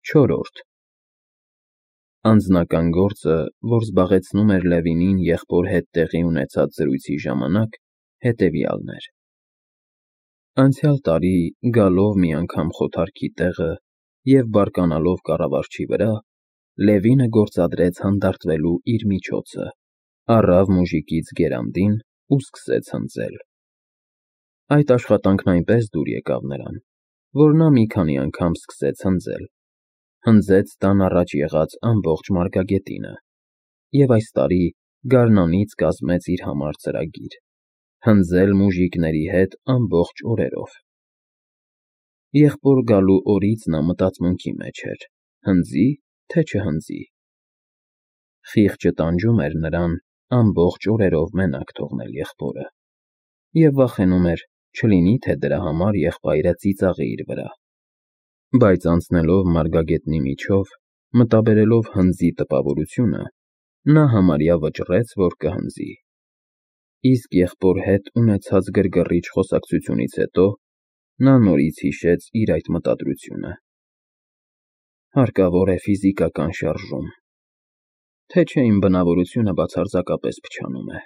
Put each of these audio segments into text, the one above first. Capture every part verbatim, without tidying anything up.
Չորրորդ Անձնական գործը, որ զբաղեցնում էր Լևինին եղբոր հետ տեղի ունեցած զրույցի ժամանակ, հետևյալն էր. Անցյալ տարի, գալով մի անգամ խոթարքի տեղը և բարկանալով կառավարչի վրա, Լևինը գործադրեց հանդարտվելու իր միջոցը, առավ մուժիկից գերանդին ու սկսեց հնձել։ Այդ աշխատանքն այնպես դուր եկավ նրան, որ նա մի քանի անգամ սկսեց հնձել, հնձեց տան առաջ եղած ամբողջ մարգագետինը և այս տարի գարնանից կազմեց իր համար ծրագիր՝ հնձել մուժիկների հետ ամբողջ օրերով։ Եղբոր գալու օրից նա մտածմունքի մեջ էր՝ հնձի, թե չհնձի։ Խիղճը տանջում էր նրան ամբողջ օրերով մենակ թողնել եղբորը և վախենում էր, չլինի թե դրա համար եղբայրը ծիծաղի իր վրա։ Բայց անցնելով մարգագետնի միջով, մտաբերելով հնձի տպավորությունը, նա համարյա վճռեց, որ կհնձի։ Իսկ եղբոր հետ ունեցած գրգռիչ խոսակցությունից հետո նա նորից հիշեց իր այդ մտադրությունը։ Հարկավոր է ֆիզիկական շարժում, թե չէ իմ բնավորությունը բացարձակապես փչանում է,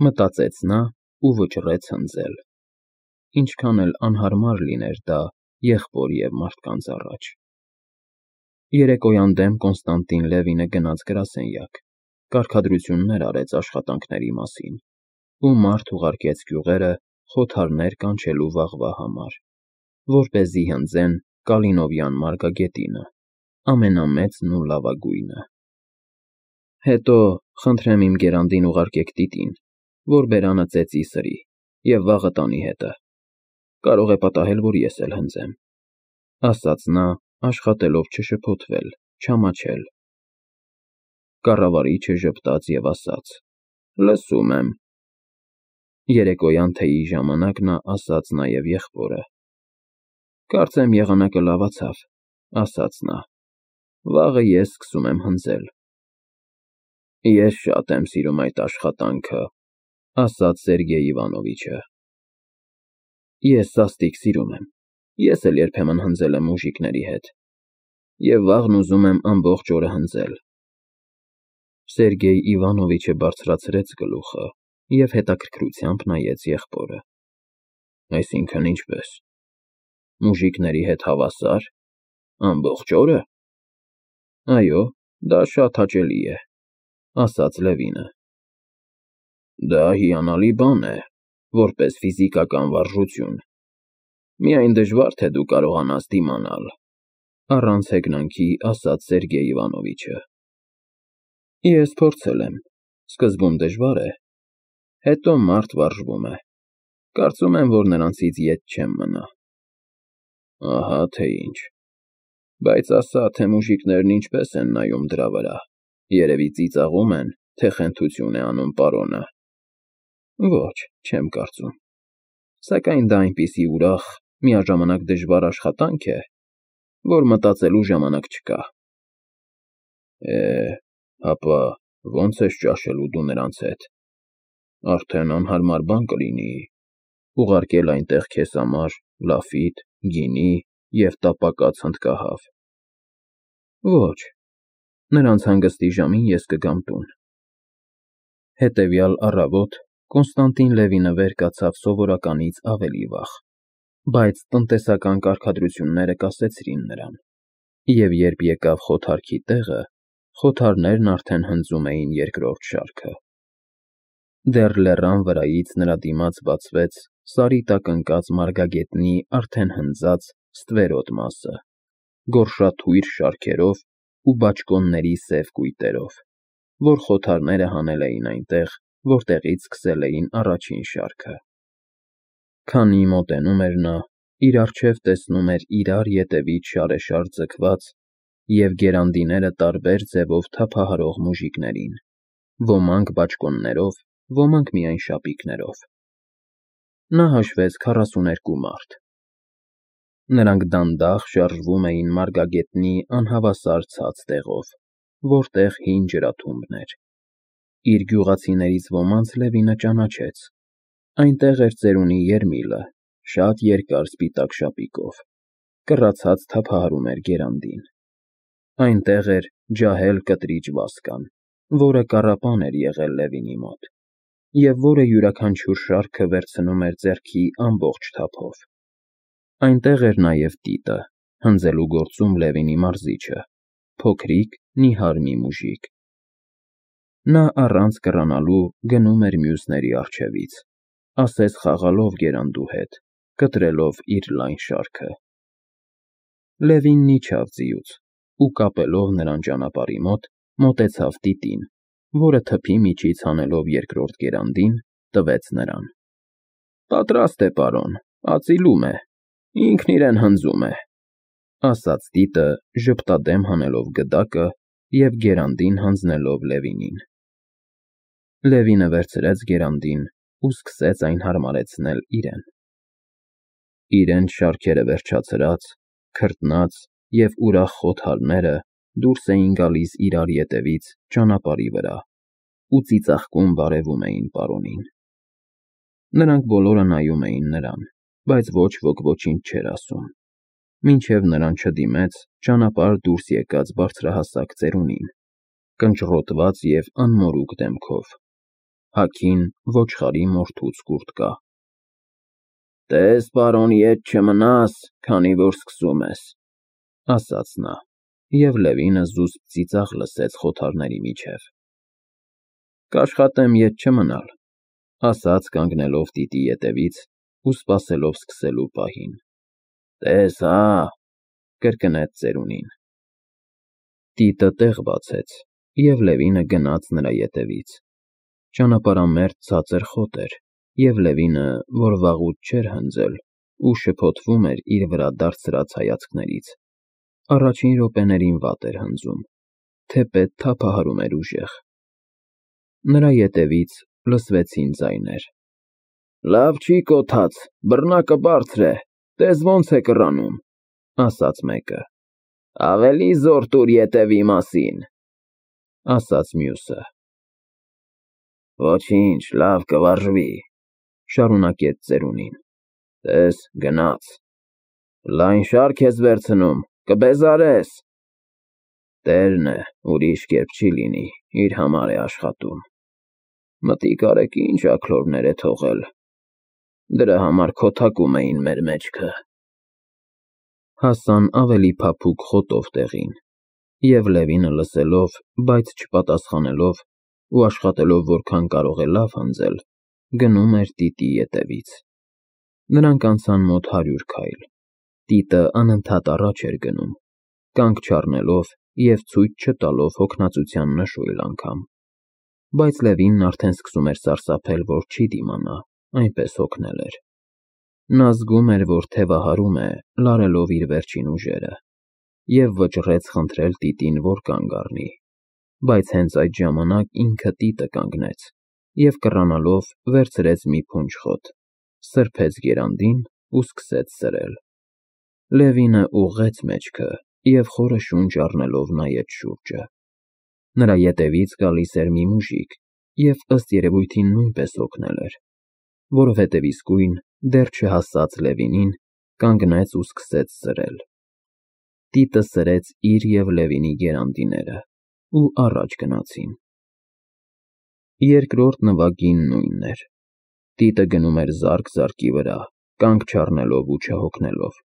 մտածեց նա ու վճռեց հնձել, ինչքան էլ անհարմար լիներ դա եղբոր և մարդկանց առաջ։ Երեկոյան դեմ Կոնստանտին Լևինը գնաց գրասենյակ, կարգադրություններ արեց աշխատանքների մասին ու մարդ ուղարկեց գյուղերը խոթարներ կանչելու վաղվա համար, որպեսզի հնձեն Կալինովյան մարգագետինը, ամենամեծն ու լավագույնը։ Հետո խնդրեմ իմ գերանդին ուղարկեք տիտին, որ բերանը ծեծի սրի և վաղը տանի հետը, կարող է պատահել, որ ես էլ հնձեմ, ասաց նա, աշխատելով չշփոթվել, չամաչել։ Կառավարիչը ժպտաց և ասաց. Լսում եմ։ Երեկոյան թեյի ժամանակ նա ասաց նաև եղբորը. Կարծեմ եղանակը լավացավ, ասաց նա, վաղը ես սկսում եմ հնձել։ Ես շատ եմ սիրում այդ աշխատանքը, ասաց Սերգեյ Իվանովիչը։ Ես սաստիկ սիրում եմ, ես էլ երբեմն հնձել եմ մուժիկների հետ և վաղն ուզում եմ ամբողջ օրը հնձել։ Սերգեյ Իվանովիչը բարձրացրեց գլուխը և հետաքրքրությամբ նայեց եղբորը։ Այսինքն ինչպե՞ս, մուժիկների հետ հավասա՞ր, ամբողջ օրը։ Այո, դա շատ հաճելի է, ասաց Լևինը։ Դա հիանալի բան է, որպես ֆիզիկական վարժություն, միայն դժվար թե դու կարողանաս դիմանալ, առանց հեգնանքի ասաց Սերգեյ Իվանովիչը։ Ես փորձել եմ, սկզբում դժվար է, հետո մարդ վարժվում է, կարծում եմ, որ նրանցից ետ չեմ մնա։ Ահա թե ինչ, բայց ասա, թե մուժիկներն ինչպես են նայում դրա վրա, երևի ծիծաղում են, թե խենթություն է անում պարոնը։ Ոչ, չեմ կարծում, սակայն դա այնպիսի ուրախ, միաժամանակ դժվար աշխատանք է, որ մտածելու ժամանակ չկա։ Է, հապա ո՞նց ես ճաշելու դու նրանց հետ, արդեն անհարմար բան կլինի ուղարկել այնտեղ քեզ համար լաֆիտ, գինի և տապակած հնդկահավ։ Ոչ, նրանց հանգստի ժամին ես կգամ տուն։ Հետևյալ առավոտ Կոնստանտին Լևինը վեր կացավ սովորականից ավելի վաղ, բայց տնտեսական կարգադրությունները կասեցրին նրան, և երբ եկավ խոթարքի տեղը, խոթարներն արդեն հնձում էին երկրորդ շարքը։ Դեռ լեռան վրայից նրա դիմաց բացվեց սարի տակ ընկած մարգագետնի արդեն հնձած ստվերոտ մասը, գորշաթույր շարքերով ու բաճկոնների սև կույտերով, որ խոթարները հանել էին այնտեղ, որտեղից սկսել էին առաջին շարքը։ Քանի մոտենում էր նա, իր առջև տեսնում էր իրար ետևից շարեշար ձգված և գերանդիները տարբեր ձևով թափահարող մուժիկներին, ոմանք բաճկոններով, ոմանք միայն շապիկներով։ Նա հաշվեց քառասուներկու մարդ։ Նրանք դանդաղ շարժվում էին մարգագետնի անհավասար ցած տեղով, որտեղ հին ջրաթուղթն էր։ Իր գյուղացիներից ոմանց Լևինը ճանաչեց. այնտեղ էր ծերունի Երմիլը, շատ երկար սպիտակ շապիկով, կռացած թափահարում էր գերանդին։ Այնտեղ էր ջահել կտրիչ Վասկան, որը կառապան էր եղել Լևինի մոտ, և որը յուրաքանչյուր շարքը վերցնում էր ձեռքի ամբողջ թափով։ Այնտեղ էր նաև Տիտը, հնձելու գործում Լևինի մարզիչը, փոքրիկ, նիհար մի մուժիկ։ Նա առանց կռանալու գնում էր մյուսների առջևից, ասես խաղալով գերանդու հետ, կտրելով իր լայն շարքը։ Լևինն իջավ ձիուց ու, կապելով նրան ճանապարհի մոտ, մոտեցավ Տիտին, որը թփի միջից հանելով երկրորդ գերանդին, տվեց նրան։ Պատրաստ է, պարոն, ածիլում է, ինքն իրեն հնձում է, ասաց Տիտը, ժպտադեմ հանելով գդակը և գերանդին հանձնելով Լևինին։ Լևինը վերցրեց գերանդին ու սկսեց այն հարմարեցնել իրեն։ Իրենց շարքերը վերջացրած, քրտնած և ուրախ խոթարները դուրս էին գալիս իրար ետևից ճանապարհի վրա ու ծիծաղկում բարևում էին պարոնին։ Նրանք բոլորը նայում էին նրան, բայց ոչ ոք ոչինչ չէր ասում, մինչև նրան չդիմեց ճանապարհ դուրս եկած բարձրահասակ ծերունին, կնճռոտված և անմորուք դեմքով, հագին ոչխարի մորթուց կուրտկա։ Տես, պարոն, ետ չմնաս, քանի որ սկսում ես, ասաց նա, և Լևինը զուսպ ծիծաղ լսեց խոթարների միջև։ Կաշխատեմ ետ չմնալ, ասաց կանգնելով Տիտի ետևից ու սպասելով սկսելու պահին։ Տես հա, կրկնեց ծերունին։ Տիտը տեղ բացեց, և Լևինը գնաց նրա ետևից։ Ճանապարհամերձ ցածր խոտ էր, և Լևինը, որ վաղուց չէր հնձել ու շփոթվում էր իր վրա դարձրած հայացքներից, առաջին րոպեներին վատ էր հնձում, թեպետ թափահարում էր ուժեղ։ Նրա ետևից լսվեցին ձայներ. Լավ չի կոթած, բռնակը բարձր է, տես ոնց է կռանում, ասաց մեկը։ Ավելի զոր տուր ետևի մասին, ասաց մյուսը։ Ոչինչ, լավ կվարժվի, շարունակեց ծերունին։ Տես, գնաց։ Լայն շարք ես վերցնում, կբեզարես։ Տերն է, ուրիշ կերպ չի լինի, իր համար է աշխատում։ Մտիկ արեք ինչ աքլորներ է թողել, դրա համար քոթակում էին մեր մեջքը։ Հասան ավելի փափուկ խոտով տեղին, և Լևինը լսելով, բայց չպատասխանելով ու աշխատելով որքան կարող է լավ հնձել, գնում էր Տիտի ետևից։ Նրանք անցան մոտ հարյուր քայլ։ Տիտը անընդհատ առաջ էր գնում, կանգ չառնելով և ցույց չտալով հոգնածության նշույլ անգամ։ Բայց Լևինն արդեն սկսում էր սարսափել, որ չի դիմանա, այնպես հոգնել էր։ Նա զգում էր, որ թևահարում է, լարելով իր վերջին ուժերը, և վճռեց խնդրել Տիտին, որ կանգ առնի, բայց հենց այդ ժամանակ ինքը Տիտը կանգնեց և կռանալով վերցրեց մի փունջ խոտ, սրբեց գերանդին ու սկսեց սրել։ Լևինը ուղղեց մեջքը և խորը շունչ առնելով նայեց շուրջը։ Նրա ետևից գալիս էր մի մուժիկ և ըստ երևույթին նույնպես հոգնել էր, որովհետև իսկույն, դեռ չհասած Լևինին, կանգնեց ու սկսեց սրել։ Տիտը սրեց իր և Լևինի գերանդիները ու առաջ գնացին։ Երկրորդ նվագին նույնն էր։ Տիտը գնում էր զարկ զարկի վրա, կանգ չառնելով ու չհոգնելով։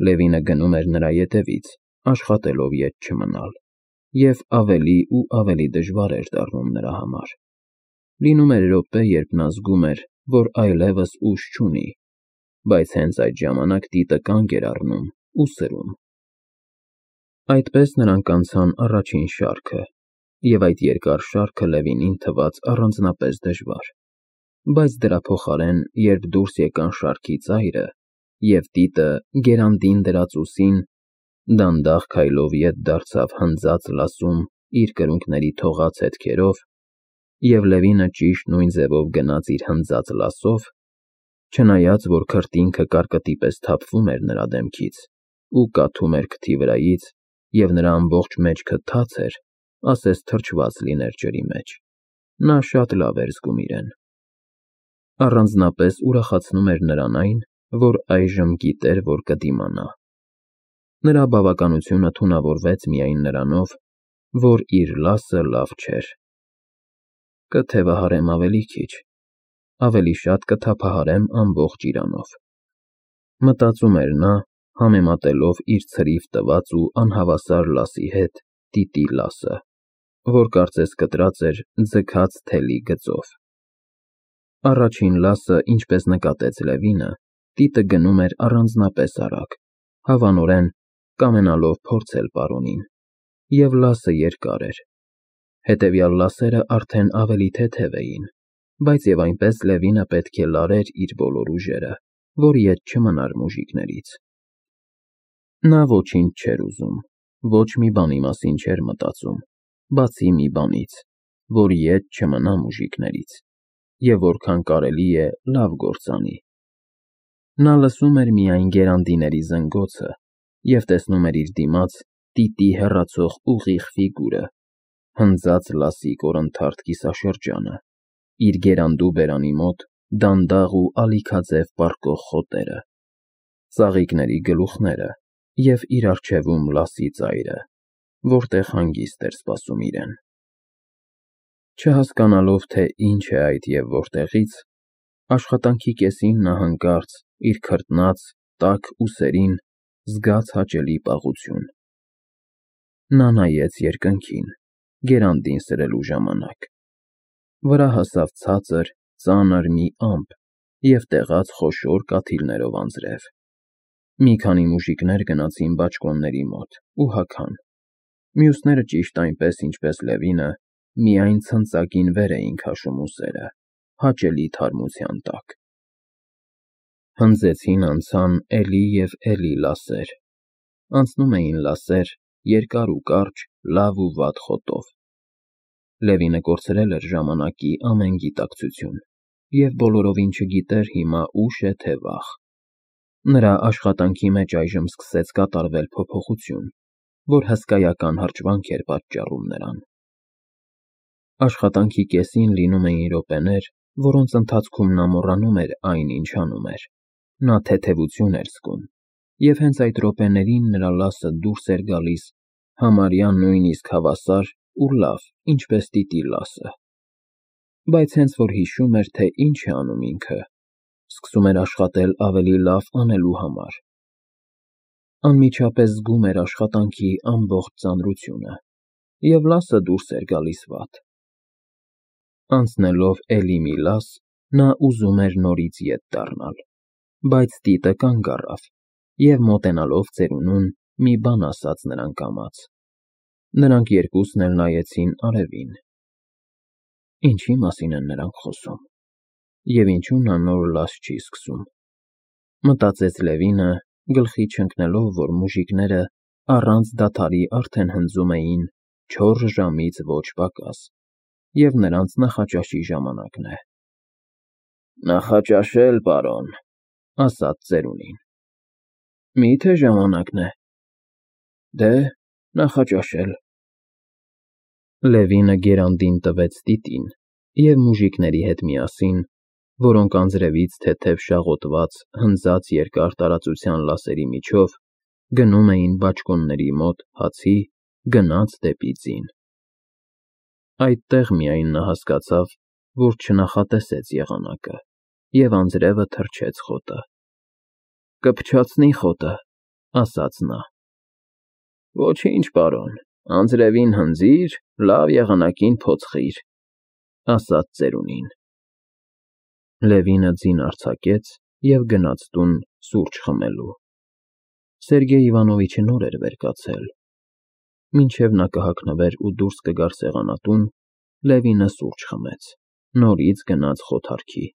Լևինը գնում էր նրա ետևից, աշխատելով ետ չմնալ, և ավելի ու ավելի դժվար էր դառնում նրա համար։ Լինում էր րոպե, երբ նա զգում էր, որ այլևս ուժ չունի, բայց հենց այդ ժամանակ Տիտը կանգ էր առնում ու սրում։ Այդպես նրանք անցան առաջին շարքը, և այդ երկար շարքը Լևինին թվաց առանձնապես դժվար։ Բայց դրա փոխարեն, երբ դուրս եկան շարքի ծայրը, և Տիտը գերանդին դրած ուսին, դանդաղ քայլով ետ դարձավ հնձած լասում իր կրունկների թողած հետքերով, և Լևինը ճիշտ նույն ձևով գնաց իր հնձած լասով, չնայած որ քրտինքը կարկտի պես թափվում էր նրա դեմքից ու կաթում էր քթի վրայից, և նրա ամբողջ մեջքը թաց էր, ասես թրջված լիներ ջրի մեջ, նա շատ լավ էր զգում իրեն։ Առանձնապես ուրախացնում էր նրան այն, որ այժմ գիտեր, որ կդիմանա։ Նրա բավականությունը թունավորվեց միայն նրանով, որ իր լասը լավ չէր։ Կթևահարեմ ավելի քիչ, ավելի շատ կթափահարեմ ամբողջ իրանով, մտածում էր նա, համեմատելով իր ցրիվ տված ու անհավասար լասի հետ տիտի լասը, որ կարծես կտրած էր ձգած թելի գծով։ Առաջին լասը, ինչպես նկատեց Լևինը, տիտը գնում էր առանձնապես արագ, հավանորեն կամենալով փորձել պարոնին, և լասը երկար էր։ Հետևյալ լասերը արդեն ավելի թեթև էին, բայց և այնպես Լևինը պետք է լարեր իր բոլոր ուժերը, որ ետ չմնար մուժիկներից։ Նա ոչինչ չէր ուզում, ոչ մի բանի մասին չէր մտածում, բացի մի բանից, որ ետ չմնա մուժիկներից, և որքան կարելի է լավ գործ անի։ Նա լսում էր միայն գերանդիների զնգոցը և տեսնում էր իր դիմաց տիտի հեռացող ուղիղ ֆիգուրը, հնձած լասի կորնթարթ կիսաշրջանը, իր գերանդու բերանի մոտ դանդաղ ու ալիքաձև պառկող խոտերը, ծաղիկների գլուխները և իր առջևում լասի ծայրը, որտեղ հանգիստ էր սպասում իրեն։ Չհասկանալով, թե ինչ է այդ և որտեղից, աշխատանքի կեսին նա հանկարծ իր քրտնած, տաք ուսերին զգաց հաճելի պաղություն։ Նա նայեց երկնքին, գերանդին սրելու ժամանակ։ Վրա հասավ ցածր, ծանր մի ամպ և տեղաց խոշոր կաթիլներով անձրև։ Մի քանի մուժիկներ գնացին բաճկոնների մոտ ու հագան, մյուսները ճիշտ այնպես, ինչպես Լևինը, միայն ցնծակին վեր էին քաշում ուսերը, հաճելի թարմության տակ։ Հնձեցին անցան էլի և էլի լասեր, անցնում էին լասեր երկար ու կարճ, լավ ու վատ խոտով։ Լևինը կորցրել էր ժամանակի ամեն գիտակցություն և բոլորովին չգիտեր հիմա ուշ է, թե վաղ։ Նրա աշխատանքի մեջ այժմ սկսեց կատարվել փոփոխություն, որ հսկայական հրճվանք էր պատճառում նրան։ Աշխատանքի կեսին լինում էին րոպեներ, որոնց ընթացքում նա մոռանում էր այն, ինչ անում էր, նա թեթևություն էր զգում, և հենց այդ րոպեներին նրա լասը դուրս էր գալիս համարյա նույնիսկ հավասար ու լավ, ինչպես տիտի լասը։ Բայց հենց որ հիշում էր, թե ինչ է անում ինքը, սկսում էր աշխատել ավելի լավ անելու համար։ Անմիջապես զգում էր աշխատանքի ամբողջ ծանրությունը, և լասը դուրս էր գալիս վատ։ Անցնելով էլի մի լաս, նա ուզում էր նորից ետ դառնալ, բայց տիտը կանգ առավ և, մոտենալով ծերունուն, մի բան ասաց նրան կամաց։ Նրանք երկուսն էլ նայեցին արևին։ Ինչի մասին են նրանք խոսում, և ինչու նա նոր լաս չի սկսում, մտածեց Լևինը, գլխի չընկնելով, որ մուժիկները առանց դադարի արդեն հնձում էին չորս ժամից ոչ պակաս, և նրանց նախաճաշի ժամանակն է։ Նախաճաշել, պարոն, ասաց ծերունին։ Մի՞թե ժամանակն է։ Դե, նախաճաշել։ Լևինը գերանդին տվեց տիտին և մուժիկների հետ միասին, որոնք անձրևից թեթև շաղոտված հնձած երկար տարածության լասերի միջով գնում էին բաճկոնների մոտ հացի, գնաց դեպի ձին։ Այդտեղ միայն նա հասկացավ, որ չնախատեսեց եղանակը, և անձրևը թրջեց խոտը։ Կփչացնի խոտը, ասաց նա։ Ոչինչ, պարոն, անձրևին հնձիր, լավ եղանակին փոցխիր, ասաց ծերունին։ Լևինը ձին արձակեց և գնաց տուն սուրճ խմելու։ Սերգեյ Իվանովիչը նոր էր վեր կացել։ Մինչև նա կհագնվեր ու դուրս կգար սեղանատուն, Լևինը սուրճ խմեց, նորից գնաց խոթարքի։